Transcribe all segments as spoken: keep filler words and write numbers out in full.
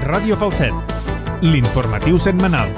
Ràdio Falset, l'informatiu setmanal.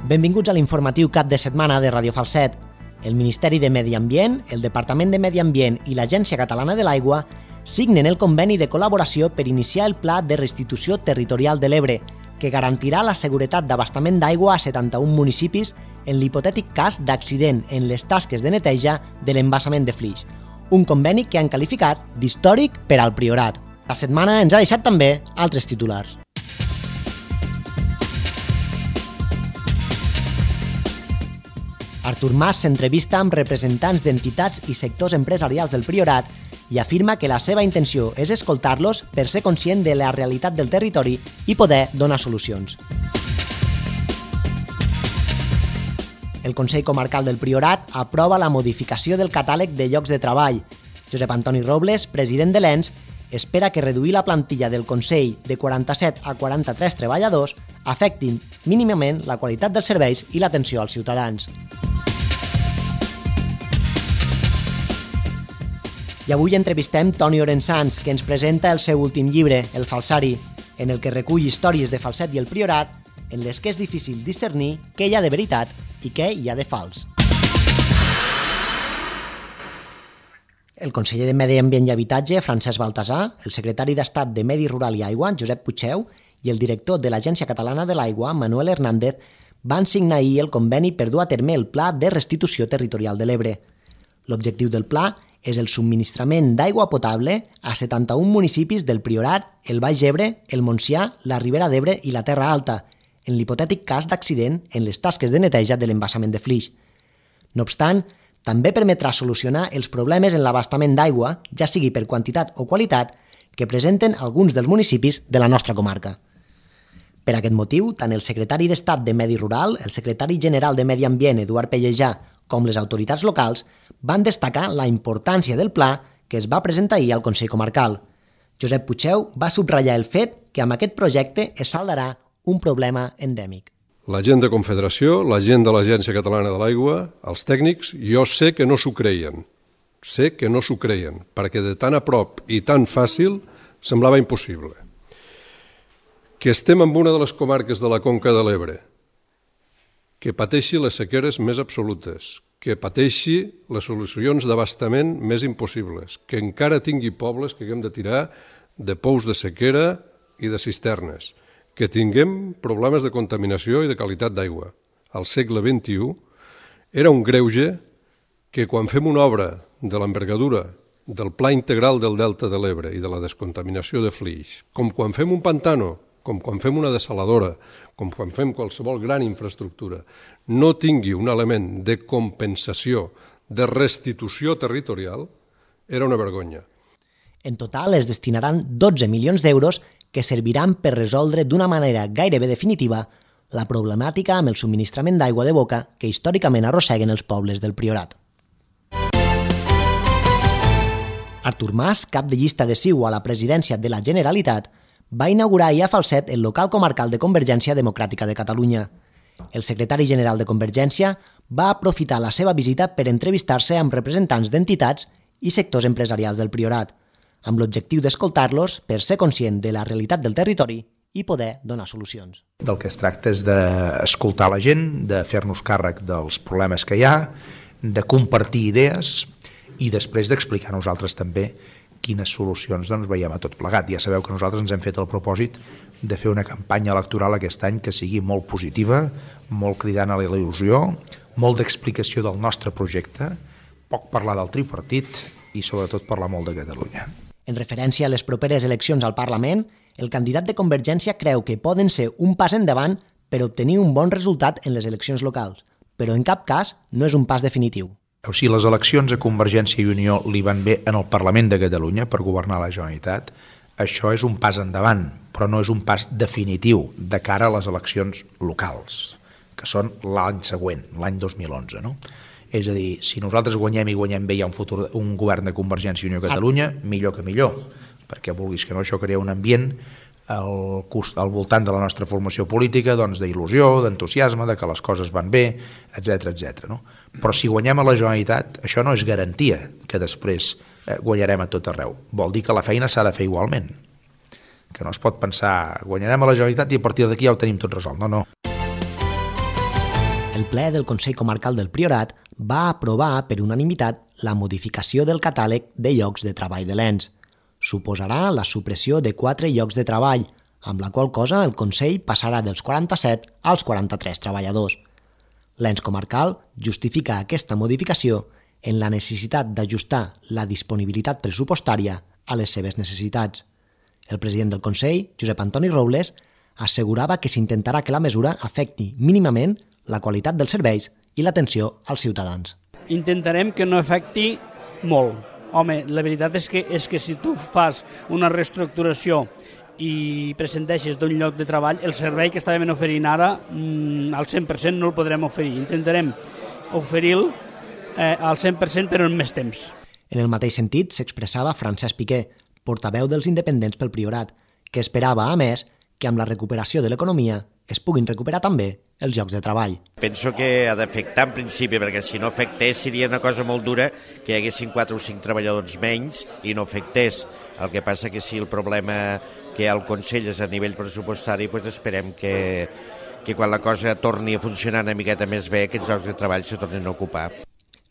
Benvinguts a l'informatiu cap de setmana de Ràdio Falset. El Ministeri de Medi Ambient, el Departament de Medi Ambient i l'Agència Catalana de l'Aigua signen el conveni de col·laboració per iniciar el Pla de Restitució Territorial de l'Ebre, que garantirà la seguretat d'abastament d'aigua a setanta-un municipis en l'hipotètic cas d'accident en les tasques de neteja de l'embassament de Flix. Un conveni que han qualificat d'històric per al Priorat. La setmana ens ha deixat també altres titulars. Artur Mas s'entrevista amb representants d'entitats i sectors empresarials del Priorat i afirma que la seva intenció és escoltar-los per ser conscient de la realitat del territori i poder donar solucions. El Consell Comarcal del Priorat aprova la modificació del catàleg de llocs de treball. Josep Antoni Robles, president de l'E N S, espera que reduir la plantilla del Consell de quaranta-set a quaranta-tres treballadors afectin mínimament la qualitat dels serveis i l'atenció als ciutadans. I avui entrevistem Toni Orensanz, que ens presenta el seu últim llibre, El Falsari, en el que recull històries de Falset i el Priorat, en les que és difícil discernir què hi ha de veritat i què hi ha de fals. El conseller de Medi Ambient i Habitatge, Francesc Baltasar, el secretari d'Estat de Medi Rural i Aigua, Josep Puigdeu, i el director de l'Agència Catalana de l'Aigua, Manuel Hernández, van signar ahir el conveni per dur a terme el Pla de Restitució Territorial de l'Ebre. L'objectiu del pla és el subministrament d'aigua potable a setanta-un municipis del Priorat, el Baix Ebre, el Montsià, la Ribera d'Ebre i la Terra Alta, en l'hipotètic cas d'accident en les tasques de neteja de l'embassament de Flix. No obstant, també permetrà solucionar els problemes en l'abastament d'aigua, ja sigui per quantitat o qualitat, que presenten alguns dels municipis de la nostra comarca. Per aquest motiu, tant el secretari d'Estat de Medi Rural, el secretari general de Medi Ambient, Eduard Pellejà, com les autoritats locals, van destacar la importància del pla que es va presentar ahir al Consell Comarcal. Josep Puigdeu va subratllar el fet que amb aquest projecte es saldarà un problema endèmic. La gent de Confederació, la gent de l'Agència Catalana de l'Aigua, els tècnics, jo sé que no s'ho creien. Sé que no s'ho creien, perquè de tan a prop i tan fàcil semblava impossible. Que estem en una de les comarques de la Conca de l'Ebre, que pateixi les sequeres més absolutes, que pateixi les solucions d'abastament més impossibles, que encara tingui pobles que haguem de tirar de pous de sequera i de cisternes, que tinguem problemes de contaminació i de qualitat d'aigua. Al segle vint-i-u era un greuge que quan fem una obra de l'envergadura del Pla Integral del Delta de l'Ebre i de la descontaminació de Flix, com quan fem un pantano, com quan fem una dessaladora, com quan fem qualsevol gran infraestructura, no tingui un element de compensació, de restitució territorial, era una vergonya. En total es destinaran dotze milions d'euros que serviran per resoldre d'una manera gairebé definitiva la problemàtica amb el subministrament d'aigua de boca que històricament arrosseguen els pobles del Priorat. Artur Mas, cap de llista de C I U a la presidència de la Generalitat, va inaugurar ahir a Falset el local comarcal de Convergència Democràtica de Catalunya. El secretari general de Convergència va aprofitar la seva visita per entrevistar-se amb representants d'entitats i sectors empresarials del Priorat, amb l'objectiu d'escoltar-los per ser conscient de la realitat del territori i poder donar solucions. Del que es tracta és d'escoltar la gent, de fer-nos càrrec dels problemes que hi ha, de compartir idees i després d'explicar a nosaltres també quines solucions doncs, veiem a tot plegat. Ja sabeu que nosaltres ens hem fet el propòsit de fer una campanya electoral aquest any que sigui molt positiva, molt cridant a la il·lusió, molt d'explicació del nostre projecte, poc parlar del tripartit i sobretot parlar molt de Catalunya. En referència a les properes eleccions al Parlament, el candidat de Convergència creu que poden ser un pas endavant per obtenir un bon resultat en les eleccions locals, però en cap cas no és un pas definitiu. Si les eleccions a Convergència i Unió li van bé en el Parlament de Catalunya per governar la Generalitat, això és un pas endavant, però no és un pas definitiu de cara a les eleccions locals, que són l'any següent, l'any dos mil onze, no? És a dir, si nosaltres guanyem i guanyem bé hi ha un, futur, un govern de Convergència i Unió a Catalunya, millor que millor, perquè vulguis que no, això crea un ambient al, al voltant de la nostra formació política doncs, d'il·lusió, d'entusiasme, de que les coses van bé, etcètera, etcètera. No? Però si guanyem a la Generalitat, això no és garantia que després eh, guanyarem a tot arreu. Vol dir que la feina s'ha de fer igualment. Que no es pot pensar, guanyarem a la Generalitat i a partir d'aquí ja ho tenim tot resolt. No, no. El ple del Consell Comarcal del Priorat va aprovar per unanimitat la modificació del catàleg de llocs de treball de l'Ens. Suposarà la supressió de quatre llocs de treball, amb la qual cosa el Consell passarà dels quaranta-set als quaranta-tres treballadors. L'Ens Comarcal justifica aquesta modificació en la necessitat d'ajustar la disponibilitat pressupostària a les seves necessitats. El president del Consell, Josep Antoni Robles, assegurava que s'intentarà que la mesura afecti mínimament la qualitat dels serveis i l'atenció als ciutadans. Intentarem que no afecti molt. Home, la veritat és que, és que si tu fas una reestructuració i presenteixes d'un lloc de treball, el servei que estàvem oferint ara al cent per cent no el podrem oferir. Intentarem oferir-lo eh, al cent per cent però en més temps. En el mateix sentit s'expressava Francesc Piqué, portaveu dels independents pel Priorat, que esperava, a més, que amb la recuperació de l'economia es puguin recuperar també els llocs de treball. Penso que ha d'afectar en principi, perquè si no afectés seria una cosa molt dura que hi haguessin quatre o cinc treballadors menys i no afectés. El que passa que si el problema que hi ha al Consell és a nivell pressupostari, doncs esperem que, que quan la cosa torni a funcionar una miqueta més bé, aquests llocs de treball se tornin a ocupar.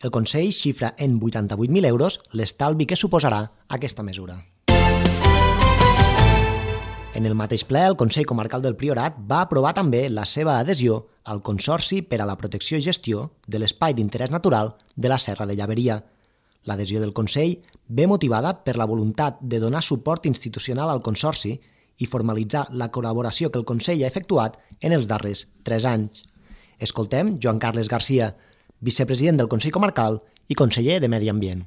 El Consell xifra en vuitanta-vuit mil euros l'estalvi que suposarà aquesta mesura. En el mateix ple, el Consell Comarcal del Priorat va aprovar també la seva adhesió al Consorci per a la Protecció i Gestió de l'Espai d'Interès Natural de la Serra de Llaveria. L'adhesió del Consell ve motivada per la voluntat de donar suport institucional al Consorci i formalitzar la col·laboració que el Consell ha efectuat en els darrers tres anys. Escoltem Joan Carles Garcia, vicepresident del Consell Comarcal i conseller de Medi Ambient.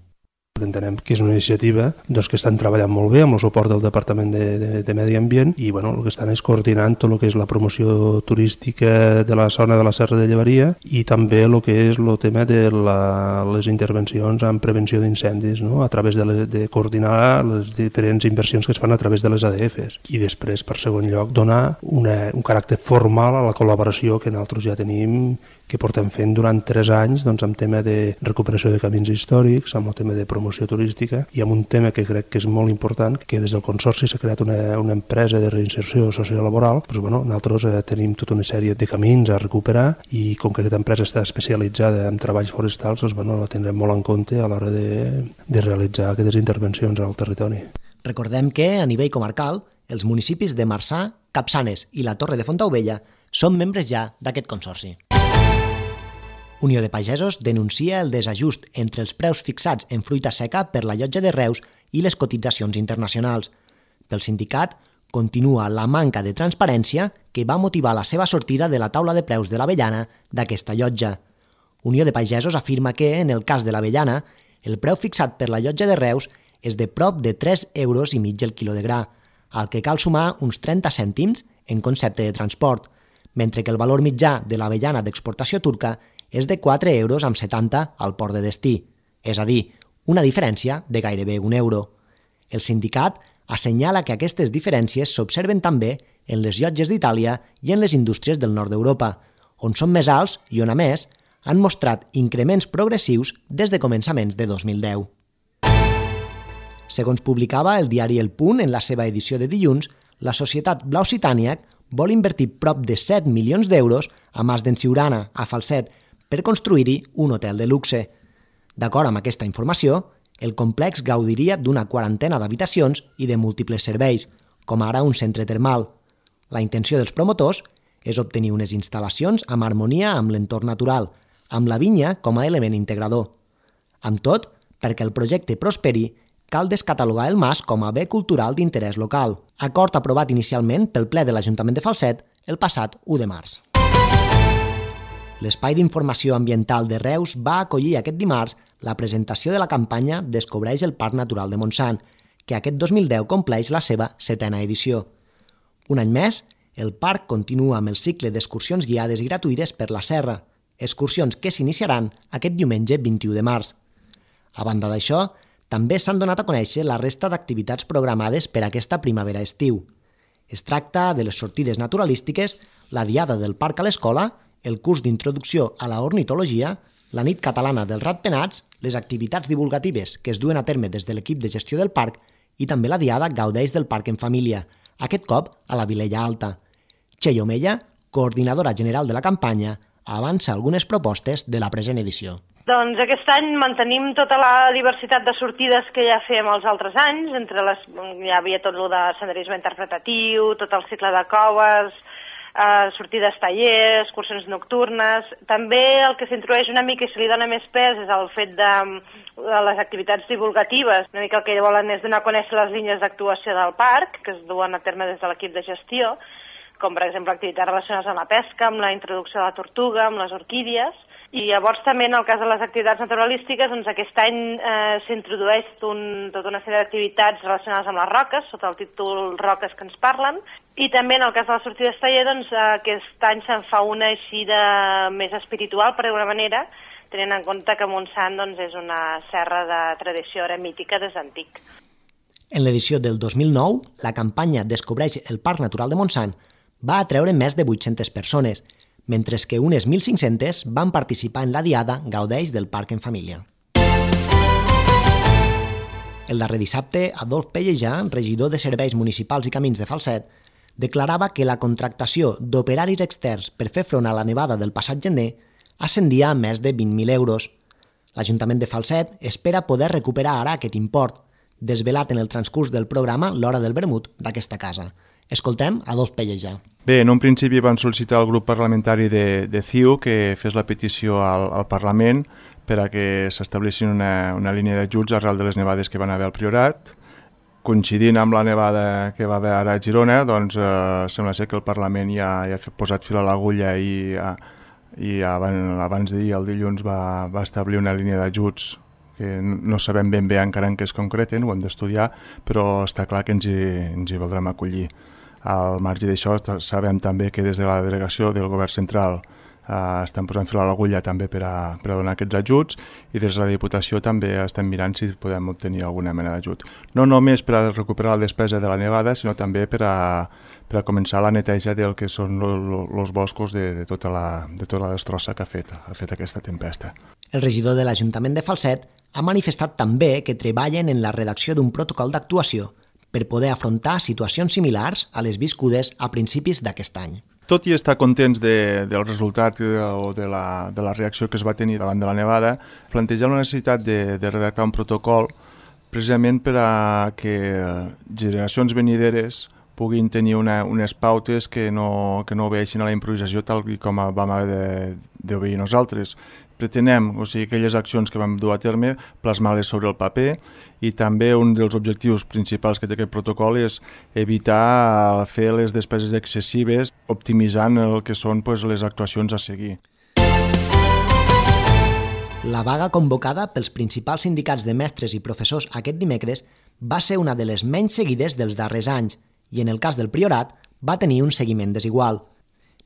Entenem que és una iniciativa doncs, que estan treballant molt bé amb el suport del Departament de, de, de Medi Ambient i bueno, el que estan és coordinant tot el que és la promoció turística de la zona de la Serra de Llaveria i també el que és el tema de la, les intervencions en prevenció d'incendis, no? A través de, le, de coordinar les diferents inversions que es fan a través de les A D Fs. I després, per segon lloc, donar una, un caràcter formal a la col·laboració que nosaltres ja tenim, que portem fent durant tres anys doncs, amb tema de recuperació de camins històrics, amb el tema de promoció turística i amb un tema que crec que és molt important, que des del Consorci s'ha creat una, una empresa de reinserció sociolaboral. Doncs, bueno, nosaltres eh, tenim tota una sèrie de camins a recuperar i com que aquesta empresa està especialitzada en treballs forestals, doncs, bueno, la tindrem molt en compte a l'hora de, de realitzar aquestes intervencions al territori. Recordem que, a nivell comarcal, els municipis de Marçà, Capçanes i la Torre de Fontaubella són membres ja d'aquest consorci. Unió de Pagesos denuncia el desajust entre els preus fixats en fruita seca per la llotja de Reus i les cotitzacions internacionals. Pel sindicat, continua la manca de transparència que va motivar la seva sortida de la taula de preus de l'avellana d'aquesta llotja. Unió de Pagesos afirma que, en el cas de l'avellana, el preu fixat per la llotja de Reus és de prop de tres euros i mig el quilo de gra, al que cal sumar uns trenta cèntims en concepte de transport, mentre que el valor mitjà de l'avellana d'exportació turca és de quatre euros amb setanta al port de destí, és a dir, una diferència de gairebé un euro. El sindicat assenyala que aquestes diferències s'observen també en les llotges d'Itàlia i en les indústries del nord d'Europa, on són més alts i on, a més, han mostrat increments progressius des de començaments de dos mil deu. Segons publicava el diari El Punt en la seva edició de dilluns, la societat Blau Citàniac vol invertir prop de set milions d'euros a Mas d'en Siurana, a Falset, per construir-hi un hotel de luxe. D'acord amb aquesta informació, el complex gaudiria d'una quarantena d'habitacions i de múltiples serveis, com ara un centre termal. La intenció dels promotors és obtenir unes instal·lacions amb harmonia amb l'entorn natural, amb la vinya com a element integrador. Amb tot, perquè el projecte prosperi, cal descatalogar el mas com a bé cultural d'interès local, acord aprovat inicialment pel ple de l'Ajuntament de Falset el passat u de març. L'Espai d'Informació Ambiental de Reus va acollir aquest dimarts la presentació de la campanya Descobreix el Parc Natural de Montsant, que aquest dos mil deu compleix la seva setena edició. Un any més, el parc continua amb el cicle d'excursions guiades i gratuïtes per la serra, excursions que s'iniciaran aquest diumenge vint-i-u de març. A banda d'això, també s'han donat a conèixer la resta d'activitats programades per aquesta primavera-estiu. Es tracta de les sortides naturalístiques, la diada del parc a l'escola, el curs d'introducció a la ornitologia, la nit catalana dels ratpenats les activitats divulgatives que es duen a terme des de l'equip de gestió del parc i també la diada Gaudeix del Parc en Família, aquest cop a la Vilella Alta. Txell Omeya, coordinadora general de la campanya, avança algunes propostes de la present edició. Doncs aquest any mantenim tota la diversitat de sortides que ja fèiem els altres anys, entre les, ja havia tot el de senderisme interpretatiu, tot el cicle de coves, eh, sortides tallers, excursions nocturnes. També el que s'introdueix una mica i se li dona més pes és el fet de, de les activitats divulgatives. Una mica el que volen és donar a conèixer les línies d'actuació del parc, que es duen a terme des de l'equip de gestió, com per exemple activitats relacionades amb la pesca, amb la introducció de la tortuga, amb les orquídies. I llavors també en el cas de les activitats naturalístiques, doncs aquest any eh, s'introdueix un, tota una sèrie d'activitats relacionades amb les roques, sota el títol Roques que ens parlen, i també en el cas de la sortida taller, doncs aquest any se'n fa una així de més espiritual, per d'alguna manera, tenint en compte que Montsant doncs, és una serra de tradició eremítica des d'antic. En l'edició del dos mil nou, la campanya Descobreix el Parc Natural de Montsant va atreure més de vuit-centes persones, mentre que unes mil cinc-centes van participar en la diada Gaudeix del Parc en Família. El darrer dissabte, Adolf Pellejà, regidor de Serveis Municipals i Camins de Falset, declarava que la contractació d'operaris externs per fer front a la nevada del passat gener ascendia a més de vint mil euros. L'Ajuntament de Falset espera poder recuperar ara aquest import, desvelat en el transcurs del programa L'Hora del Vermut d'aquesta casa. Escoltem Adolf Pellejà. Bé, en un principi van sol·licitar al grup parlamentari de, de C I U que fes la petició al, al Parlament per a que s'establissin una, una línia d'ajuts arrel de les nevades que van haver al Priorat. Coincidint amb la nevada que va haver ara a Girona, doncs eh, sembla ser que el Parlament ja, ja ha posat fil a l'agulla i, i abans, abans d'ahir, el dilluns, va, va establir una línia d'ajuts que no sabem ben bé encara en què es concreten, ho hem d'estudiar, però està clar que ens hi, ens hi voldrem acollir. Al marge d'això, sabem també que des de la delegació del Govern Central eh, estan posant fil a l'agulla també per a, per a donar aquests ajuts i des de la Diputació també estem mirant si podem obtenir alguna mena d'ajut. No només per a recuperar la despesa de la nevada, sinó també per a, per a començar la neteja del que són els boscos de, de, tota la, de tota la destrossa que ha fet, ha fet aquesta tempesta. El regidor de l'Ajuntament de Falset ha manifestat també que treballen en la redacció d'un protocol d'actuació per poder afrontar situacions similars a les viscudes a principis d'aquest any. Tot i estar contents de, del resultat o de la, de la reacció que es va tenir davant de la nevada, plantejar la necessitat de, de redactar un protocol precisament per a que generacions venideres puguin tenir una, unes pautes que no, que no obeeixin a la improvisació tal com vam haver d'obeir nosaltres. Pretenem, o sigui, aquelles accions que vam dur a terme, plasmar-les sobre el paper i també un dels objectius principals que té aquest protocol és evitar fer les despeses excessives optimitzant el que són pues, les actuacions a seguir. La vaga convocada pels principals sindicats de mestres i professors aquest dimecres va ser una de les menys seguides dels darrers anys i en el cas del Priorat va tenir un seguiment desigual.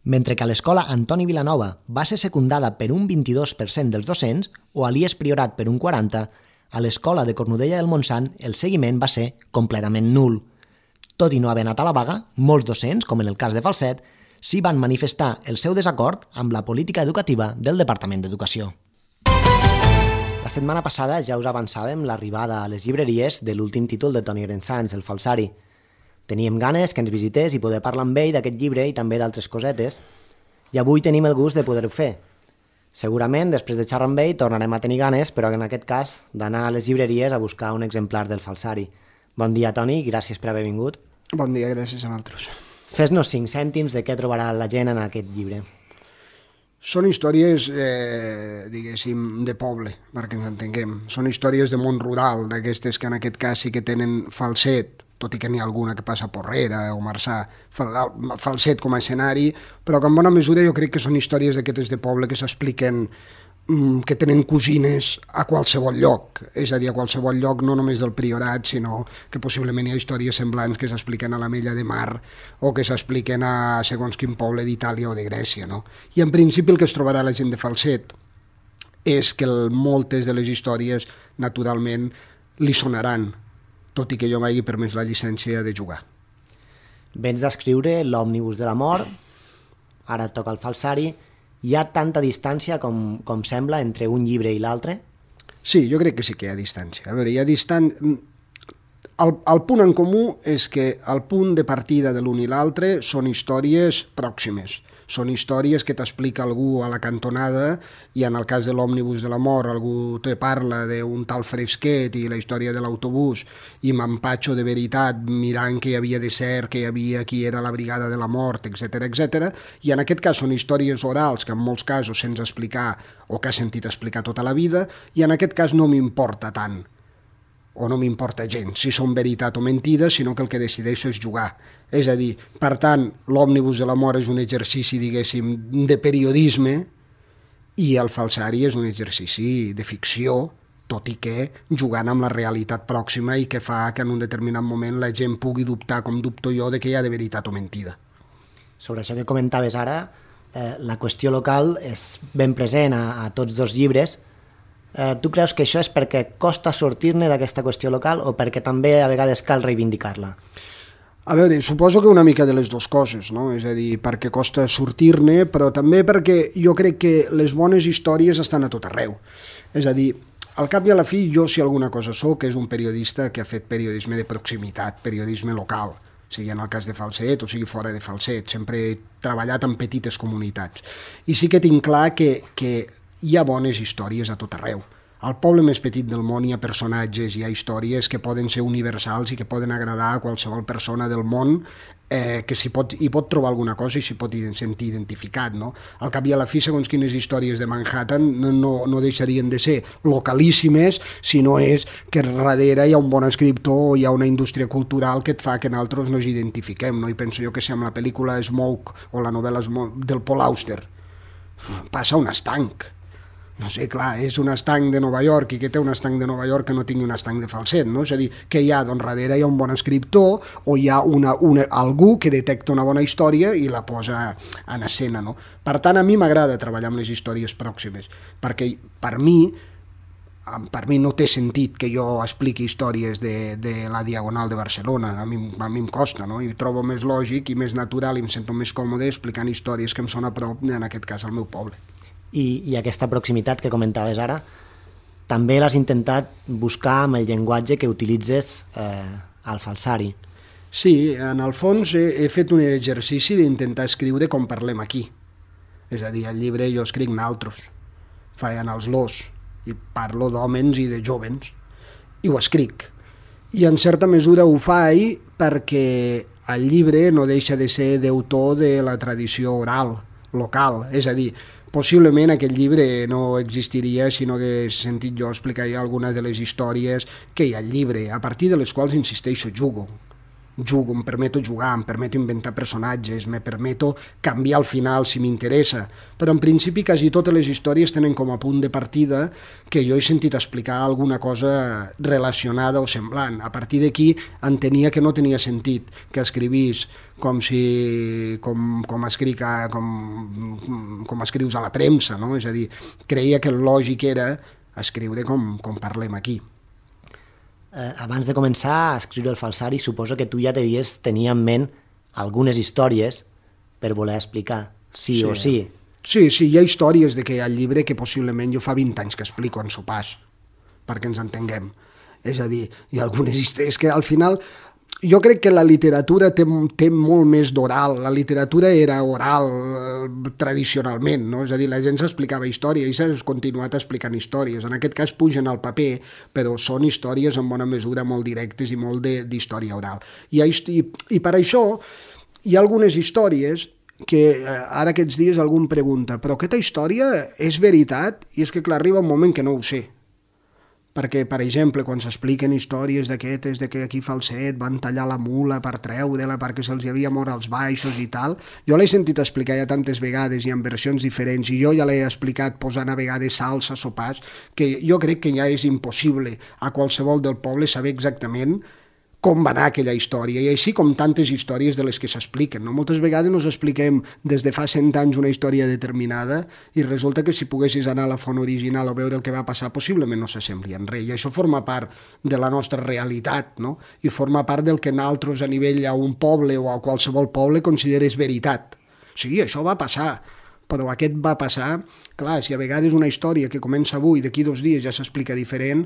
Mentre que a l'escola Antoni Vilanova va ser secundada per un vint-i-dos per cent dels docents o a l'I E S Priorat per un quaranta per cent, a l'escola de Cornudella del Montsant el seguiment va ser completament nul. Tot i no haver anat a la vaga, molts docents, com en el cas de Falset, sí van manifestar el seu desacord amb la política educativa del Departament d'Educació. La setmana passada ja us avançàvem l'arribada a les llibreries de l'últim títol de Toni Grensans, El Falsari. Teníem ganes que ens visités i poder parlar amb ell d'aquest llibre i també d'altres cosetes, i avui tenim el gust de poder-ho fer. Segurament, després de xerrar amb ell, tornarem a tenir ganes, però en aquest cas, d'anar a les llibreries a buscar un exemplar del Falsari. Bon dia, Toni, gràcies per haver vingut. Bon dia, gràcies a vosaltres. Fes-nos cinc cèntims de què trobarà la gent en aquest llibre. Són històries, eh, diguéssim, de poble, perquè ens entenguem. Són històries de món rural, d'aquestes que en aquest cas sí que tenen Falset, tot i que n'hi ha alguna que passa a Porrera o Marçà, Falset com a escenari, però que en bona mesura jo crec que són històries d'aquestes de poble que s'expliquen, que tenen cosines a qualsevol lloc, és a dir, a qualsevol lloc no només del Priorat, sinó que possiblement hi ha històries semblants que s'expliquen a l'Ametlla de Mar o que s'expliquen a segons quin poble d'Itàlia o de Grècia, no? I en principi el que es trobarà la gent de Falset és que moltes de les històries naturalment li sonaran, tot i que jo m'hagi permès la llicència de jugar. Vens d'escriure l'Òmnibus de la Mort, ara et toca el Falsari. Hi ha tanta distància com, com sembla entre un llibre i l'altre? Sí, jo crec que sí que hi ha distància. A veure, hi ha distància... El, el punt en comú és que el punt de partida de l'un i l'altre són històries pròximes. Són històries que t'explica algú a la cantonada i en el cas de l'òmnibus de la mort algú te parla d'un tal Fresquet i la història de l'autobús i m'empatxo de veritat mirant que hi havia de ser, que hi havia qui era la brigada de la mort, etcètera, etcètera. I en aquest cas són històries orals que en molts casos sents explicar o que has sentit explicar tota la vida i en aquest cas no m'importa tant o no m'importa gens si són veritat o mentida, sinó que el que decideixo és jugar. És a dir, per tant, l'òmnibus de la mort és un exercici, diguéssim, de periodisme i el falsari és un exercici de ficció, tot i que jugant amb la realitat pròxima i que fa que en un determinat moment la gent pugui dubtar, com dubto jo, de que hi ha de veritat o mentida. Sobre això que comentaves ara, eh, la qüestió local és ben present a, a tots dos llibres. Eh, tu creus que això és perquè costa sortir-ne d'aquesta qüestió local o perquè també a vegades cal reivindicar-la? A veure, suposo que una mica de les dues coses, no? És a dir, perquè costa sortir-ne, però també perquè jo crec que les bones històries estan a tot arreu. És a dir, al cap i a la fi, jo si alguna cosa soc és un periodista que ha fet periodisme de proximitat, periodisme local, sigui en el cas de Falset o sigui fora de Falset. Sempre he treballat en petites comunitats. I sí que tinc clar que, que hi ha bones històries a tot arreu. Al poble més petit del món hi ha personatges, hi ha històries que poden ser universals i que poden agradar a qualsevol persona del món eh, que s'hi pot, hi pot trobar alguna cosa i s'hi pot sentir identificat. No? Al cap i a la fi, segons quines històries de Manhattan no, no, no deixarien de ser localíssimes si no és que darrere hi ha un bon escriptor o hi ha una indústria cultural que et fa que nosaltres no ens identifiquem. No? I penso jo que si amb la pel·lícula Smoke o la novel·la Smoke del Paul Auster passa un estanc. No sé, clar, és un estanc de Nova York i que té un estanc de Nova York que no tingui un estanc de Falset, no? És a dir, que hi ha, doncs, darrere hi ha un bon escriptor o hi ha una, una, algú que detecta una bona història i la posa en escena, no? Per tant, a mi m'agrada treballar amb les històries pròximes, perquè per mi, per mi no té sentit que jo expliqui històries de, de la Diagonal de Barcelona, a mi, a mi em costa, no? I trobo més lògic i més natural i em sento més còmode explicant històries que em són a prop, en aquest cas, al meu poble. I, i aquesta proximitat que comentaves ara, també l'has intentat buscar amb el llenguatge que utilitzes eh, al falsari. Sí, en el fons he, he fet un exercici d'intentar escriure com parlem aquí. És a dir, al llibre jo escric naltros, feien els los, i parlo d'hòmens i de jovens, i ho escric. I en certa mesura ho faig perquè el llibre no deixa de ser deutor de la tradició oral, local, és a dir, possiblement aquest llibre no existiria si no hagués sentit jo explicar algunes de les històries que hi ha al llibre, a partir de les quals, insisteixo, jugo. Jugo, em permeto jugar, em permeto inventar personatges, me permeto canviar el final si m'interessa, però en principi quasi totes les històries tenen com a punt de partida que jo he sentit explicar alguna cosa relacionada o semblant. A partir d'aquí entenia que no tenia sentit que escrivís com si com, com, escric a, com, com escrius a la premsa, no? És a dir, creia que el lògic era escriure com, com parlem aquí. Eh, abans de començar a escriure el falsari, suposo que tu ja devies tenir en ment algunes històries per voler explicar, sí, sí o sí. Sí, sí, hi ha històries de que hi ha el llibre que possiblement jo fa vint anys que explico en sopars, perquè ens entenguem. És a dir, hi ha algunes històries que al final... Jo crec que la literatura té, té molt més d'oral. La literatura era oral eh, tradicionalment, no? És a dir, la gent s'explicava història i s'ha continuat explicant històries. En aquest cas pugen al paper, però són històries en bona mesura molt directes i molt d'història oral. I, i, I per això hi ha algunes històries que eh, ara aquests dies algú em pregunta però aquesta història és veritat? I és que clar, arriba un moment que no ho sé. Perquè, per exemple, quan s'expliquen històries d'aquestes, de que aquí Falset van tallar la mula per treure-la perquè se'ls havia mort als baixos i tal, jo l'he sentit explicar ja tantes vegades i en versions diferents, i jo ja l'he explicat posant a vegades salsa, sopars, que jo crec que ja és impossible a qualsevol del poble saber exactament com va anar aquella història, i així com tantes històries de les que s'expliquen. No? Moltes vegades nos expliquem des de fa cent anys una història determinada i resulta que si poguessis anar a la font original o veure el que va passar, possiblement no s'assembli en res. I això forma part de la nostra realitat, no? I forma part del que nosaltres a nivell a un poble o a qualsevol poble consideres veritat. Sí, això va passar, però aquest va passar. Clar, si a vegades una història que comença avui, d'aquí dos dies ja s'explica diferent,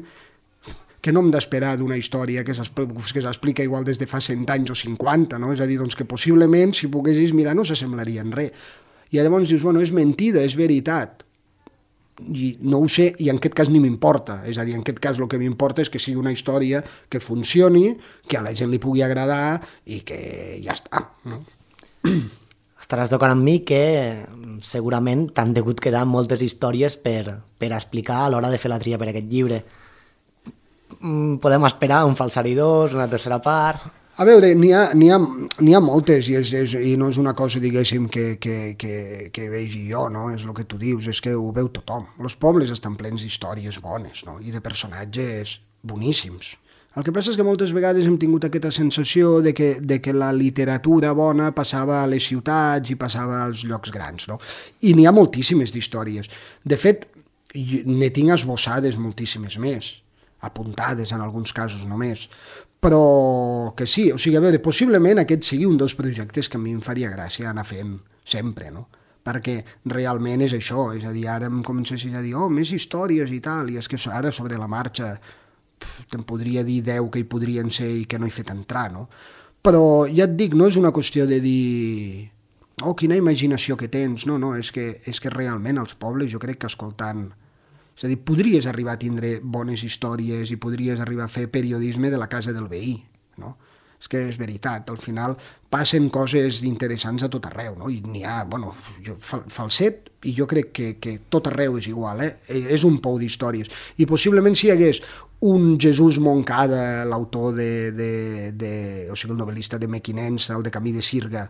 que no hem d'esperar d'una història que s'explica igual des de fa cent anys o cinquanta, no? És a dir, doncs que possiblement, si poguessis mirar, no s'assemblaria en res. I llavors dius, bueno, és mentida, és veritat. I no ho sé, i en aquest cas ni m'importa. És a dir, en aquest cas el que m'importa és que sigui una història que funcioni, que a la gent li pugui agradar i que ja està, no? Estaràs d'acord amb mi que segurament t'han degut quedar moltes històries per, per explicar a l'hora de fer la tria per aquest llibre. Podem esperar un falsari dos, una tercera part... A veure, n'hi ha, n'hi ha, n'hi ha moltes i, és, és, i no és una cosa, diguéssim, que, que, que, que vegi jo, no? És el que tu dius, és que ho veu tothom. Els pobles estan plens d'històries bones, no? I de personatges boníssims. El que passa és que moltes vegades hem tingut aquesta sensació de que, de que la literatura bona passava a les ciutats i passava als llocs grans, no? I n'hi ha moltíssimes d'històries. De fet, ne tinc esbossades moltíssimes més, apuntades en alguns casos només, però que sí, o sigui, a veure, possiblement aquest sigui un dels projectes que a mi em faria gràcia anar fent sempre, no? Perquè realment és això, és a dir, ara em comencessis a dir, oh, més històries i tal, i és que ara sobre la marxa te'n podria dir deu que hi podrien ser i que no he fet entrar, no? Però ja et dic, no és una qüestió de dir, oh, quina imaginació que tens, no, no, és que, és que realment els pobles jo crec que escoltant... És a dir, podries arribar a tindre bones històries i podries arribar a fer periodisme de la casa del veí, no? És que és veritat, al final passen coses interessants a tot arreu, no? I n'hi ha, bueno, jo, Falset, i jo crec que, que tot arreu és igual, eh? És un pou d'històries. I possiblement si hi hagués un Jesús Moncada, l'autor de, de, de, o sigui, el novel·lista de Mequinensa, el de Camí de Sirga,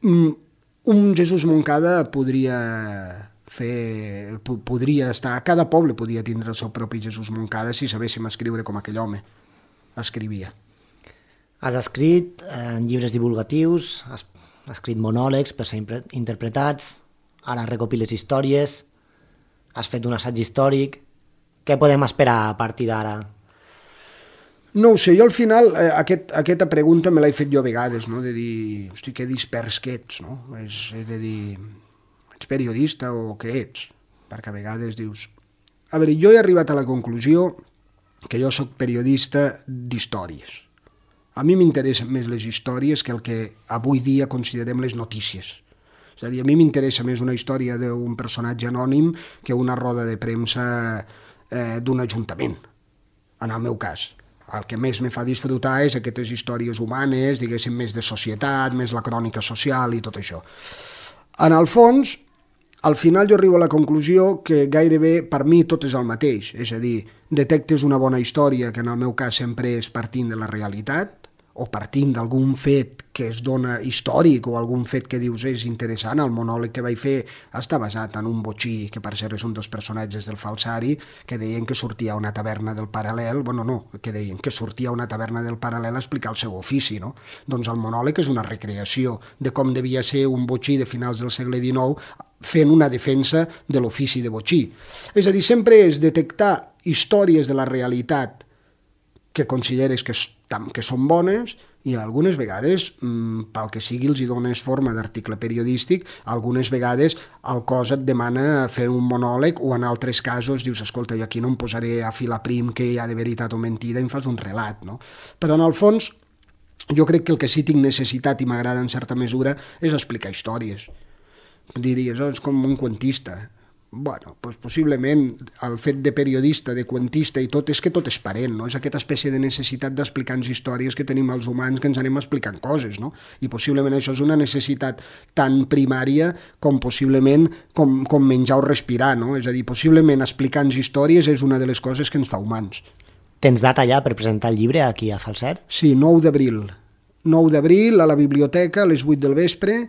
un Jesús Moncada podria... fer, podria estar, cada poble podia tindre el seu propi Jesús Moncada si sabéssim escriure com aquell home escrivia. Has escrit en llibres divulgatius, has, has escrit monòlegs per ser interpretats, ara recopiles històries, has fet un assaig històric. Què podem esperar a partir d'ara? No ho sé, jo al final eh, aquest, aquesta pregunta me l'he fet jo a vegades, no? De dir, hosti, que dispers que ets, no? És, és de dir... ets periodista o què ets? Perquè a vegades dius... A veure, jo he arribat a la conclusió que jo sóc periodista d'històries. A mi m'interessen més les històries que el que avui dia considerem les notícies. És a dir, a mi m'interessa més una història d'un personatge anònim que una roda de premsa eh, d'un ajuntament, en el meu cas. El que més me fa disfrutar és aquestes històries humanes, diguéssim, més de societat, més la crònica social i tot això. En el fons, al final jo arribo a la conclusió que gairebé per mi tot és el mateix, és a dir, detectes una bona història, que en el meu cas sempre és partint de la realitat, o partint d'algun fet que es dona històric, o algun fet que dius és interessant. El monòleg que vaig fer està basat en un botxí, que per cert és un dels personatges del falsari, que deien que sortia a una taverna del Paral·lel, bueno, no, que deien que sortia a una taverna del Paral·lel a explicar el seu ofici, no? Doncs el monòleg és una recreació de com devia ser un botxí de finals del segle dinou fent una defensa de l'ofici de botxí. És a dir, sempre és detectar històries de la realitat que consideres que, que són bones i algunes vegades, pel que sigui, els hi dones forma d'article periodístic, algunes vegades el cos et demana fer un monòleg o en altres casos dius, escolta, jo aquí no em posaré a filar prim que hi ha de veritat o mentida i em fas un relat, no? Però en el fons jo crec que el que sí tinc necessitat i m'agrada en certa mesura és explicar històries. Diries, oh, és com un quantista. Bueno, doncs possiblement el fet de periodista, de quantista i tot, és que tot és parent, no? És aquesta espècie de necessitat d'explicar-nos històries que tenim els humans, que ens anem explicant coses, no? I possiblement això és una necessitat tan primària com possiblement com, com menjar o respirar, no? És a dir, possiblement explicar-nos històries és una de les coses que ens fa humans. Tens data ja per presentar el llibre aquí a Falset? Sí, nou d'abril. nou d'abril a la biblioteca a les vuit del vespre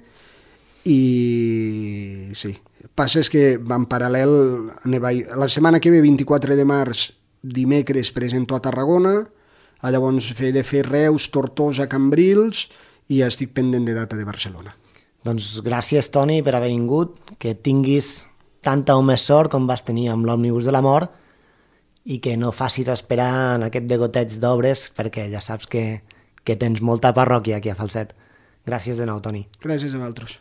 i sí, passa és que en paral·lel la setmana que ve, vint-i-quatre de març, dimecres presento a Tarragona, llavors he de fer Reus, Tortosa, Cambrils i estic pendent de data de Barcelona. Doncs gràcies, Toni, per haver vingut, que tinguis tanta o més sort com vas tenir amb l'Òmnibus de la Mort i que no facis esperar en aquest degoteig d'obres perquè ja saps que, que tens molta parròquia aquí a Falset. Gràcies de nou, Toni. Gràcies a vosaltres.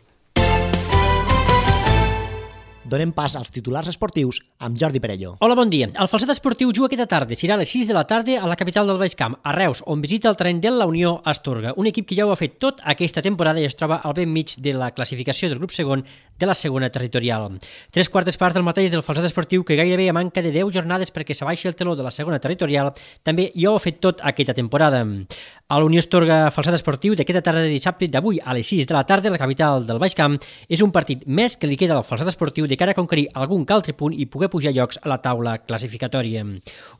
Donem pas als titulars esportius amb Jordi Perello. Hola, bon dia. El Falset Esportiu juga aquesta tarda. Serà a les sis de la tarda a la capital del Baix Camp, a Reus, on visita el terreny de la Unió Astorga, un equip que ja ho ha fet tot aquesta temporada i es troba al ben mig de la classificació del grup segon de la segona territorial. Tres quartes parts del mateix del Falset Esportiu, que gairebé a manca de deu jornades perquè s'abaixi el teló de la segona territorial, també ja ho ha fet tot aquesta temporada. A la Unió Astorga Falset Esportiu d'aquesta tarda de dissabte d'avui a les sis de la tarda a la capital del Baix Camp és un partit més que li queda al Falset Esportiu de cara a conquerir algun que altre punt i poder pujar llocs a la taula classificatòria.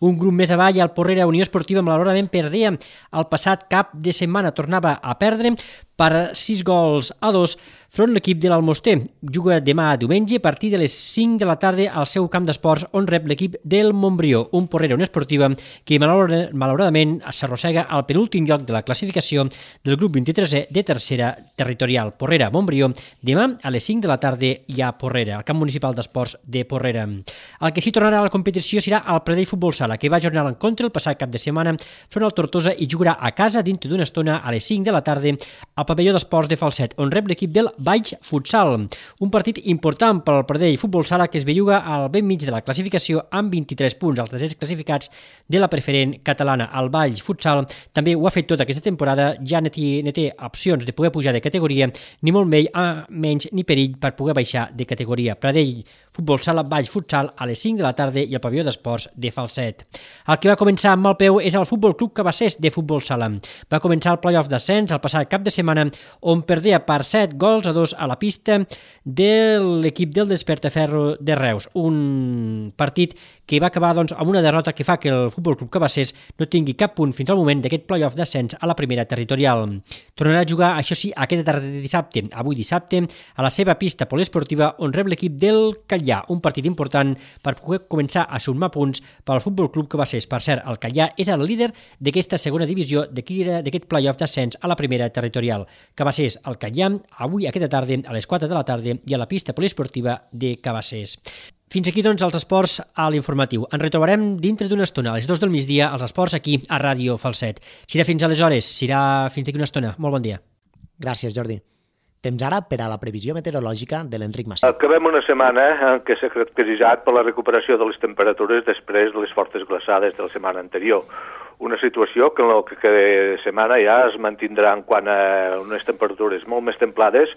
Un grup més avall, el Porrera Unió Esportiva, malauradament perdia el passat cap de setmana, tornava a perdre per sis gols a dos front l'equip de l'Almoster. Juga demà diumenge a partir de les cinc de la tarda al seu camp d'esports, on rep l'equip del Montbrió, un Porrera Unió Esportiva que malauradament s'arrossega al penúltim lloc de la classificació del grup vint-i-tresè de tercera territorial. Porrera Montbrió, demà a les cinc de la tarda hi ha Porrera, al camp municipal d'esports de Porrera. El que sí tornarà a la competició serà el Pradell Futbol Sala, que va ajornar l'encontre el passat cap de setmana front al Tortosa i jugarà a casa dintre d'una estona a les cinc de la tarda al pavelló d'esports de Falset, on rep l'equip del Baix Futsal. Un partit important per al Pradell Futbol Sala, que es belluga al ben mig de la classificació amb vint-i-tres punts, els desers classificats de la preferent catalana. El Baix Futsal també ho ha fet tota aquesta temporada, ja no té, no té opcions de poder pujar de categoria, ni molt menys, a menys ni perill per poder baixar de categoria. Pradell Futbol Sala, Baix Futsal a les cinc de la tarda i al pavelló d'esports de Falset. El que va començar amb mal peu és el Futbol Club Cabassers de Futbol Sala. Va començar el playoff d'ascens el passat cap de setmana, on perdia per set gols a dos a la pista de l'equip del Despertaferro de Reus. Un partit que va acabar doncs, amb una derrota que fa que el Futbol Club Cabassers no tingui cap punt fins al moment d'aquest playoff d'ascens a la primera territorial. Tornarà a jugar, això sí, aquesta tarda de dissabte, avui dissabte, a la seva pista poliesportiva, on rep l'equip del Catllà, un partit important per poder començar a sumar punts per al Futbol Club Cabassers. Per cert, el Catllà és el líder d'aquesta segona divisió d'aquest playoff d'ascens a la primera territorial. Cabassers, el Catllà, avui aquesta tarda a les quatre de la tarda i a la pista poliesportiva de Cabassers. Fins aquí, doncs, els esports a l'informatiu. Ens retrobarem dintre d'una estona, a les dues del migdia, els esports aquí a Ràdio Falset. Serà fins aleshores, serà fins d'aquí una estona. Molt bon dia. Gràcies, Jordi. Temps ara per a la previsió meteorològica de l'Enric Massí. Acabem una setmana en què s'ha caracteritzat per la recuperació de les temperatures després de les fortes glaçades de la setmana anterior. Una situació que en el que cada setmana ja es mantindrà en quant a unes temperatures molt més templades,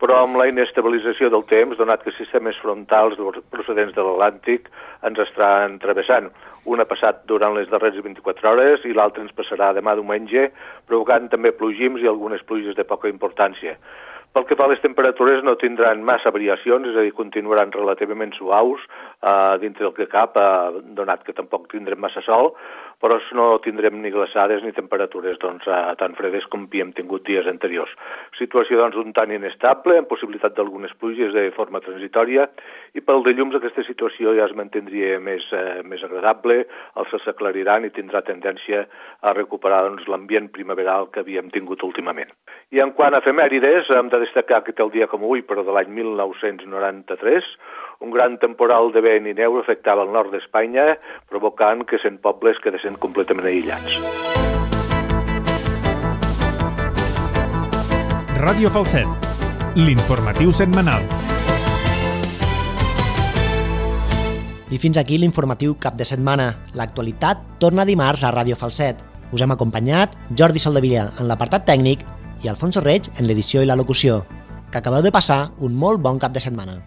però amb la inestabilització del temps, donat que sistemes frontals procedents de l'Atlàntic ens estan travessant. Un ha passat durant les darreres vint-i-quatre hores i l'altre ens passarà demà diumenge, provocant també plogims i algunes pluges de poca importància. Pel que fa a les temperatures no tindran massa variacions, és a dir, continuaran relativament suaus eh, dintre del que cap, eh, donat que tampoc tindrem massa sol, però no tindrem ni glaçades ni temperatures doncs, eh, tan fredes com havíem tingut dies anteriors. Situació doncs, un tant inestable, amb possibilitat d'algunes pluges de forma transitòria, i pel dilluns aquesta situació ja es mantindria més, eh, més agradable, els s'aclariran i tindrà tendència a recuperar doncs, l'ambient primaveral que havíem tingut últimament. I en quant a efemèrides, hem de destacar que tal dia com avui, però de l'any mil nou-cents noranta-tres, un gran temporal de vent i neu afectava el nord d'Espanya, provocant que cent pobles quedessin completament aïllats. Ràdio Falset, l'informatiu setmanal. I fins aquí l'informatiu cap de setmana. L'actualitat torna dimarts a Ràdio Falset. Us hem acompanyat Jordi Soldevilla en l'apartat tècnic i Alfonso Reig en l'edició i la locució. Que acabeu de passar un molt bon cap de setmana.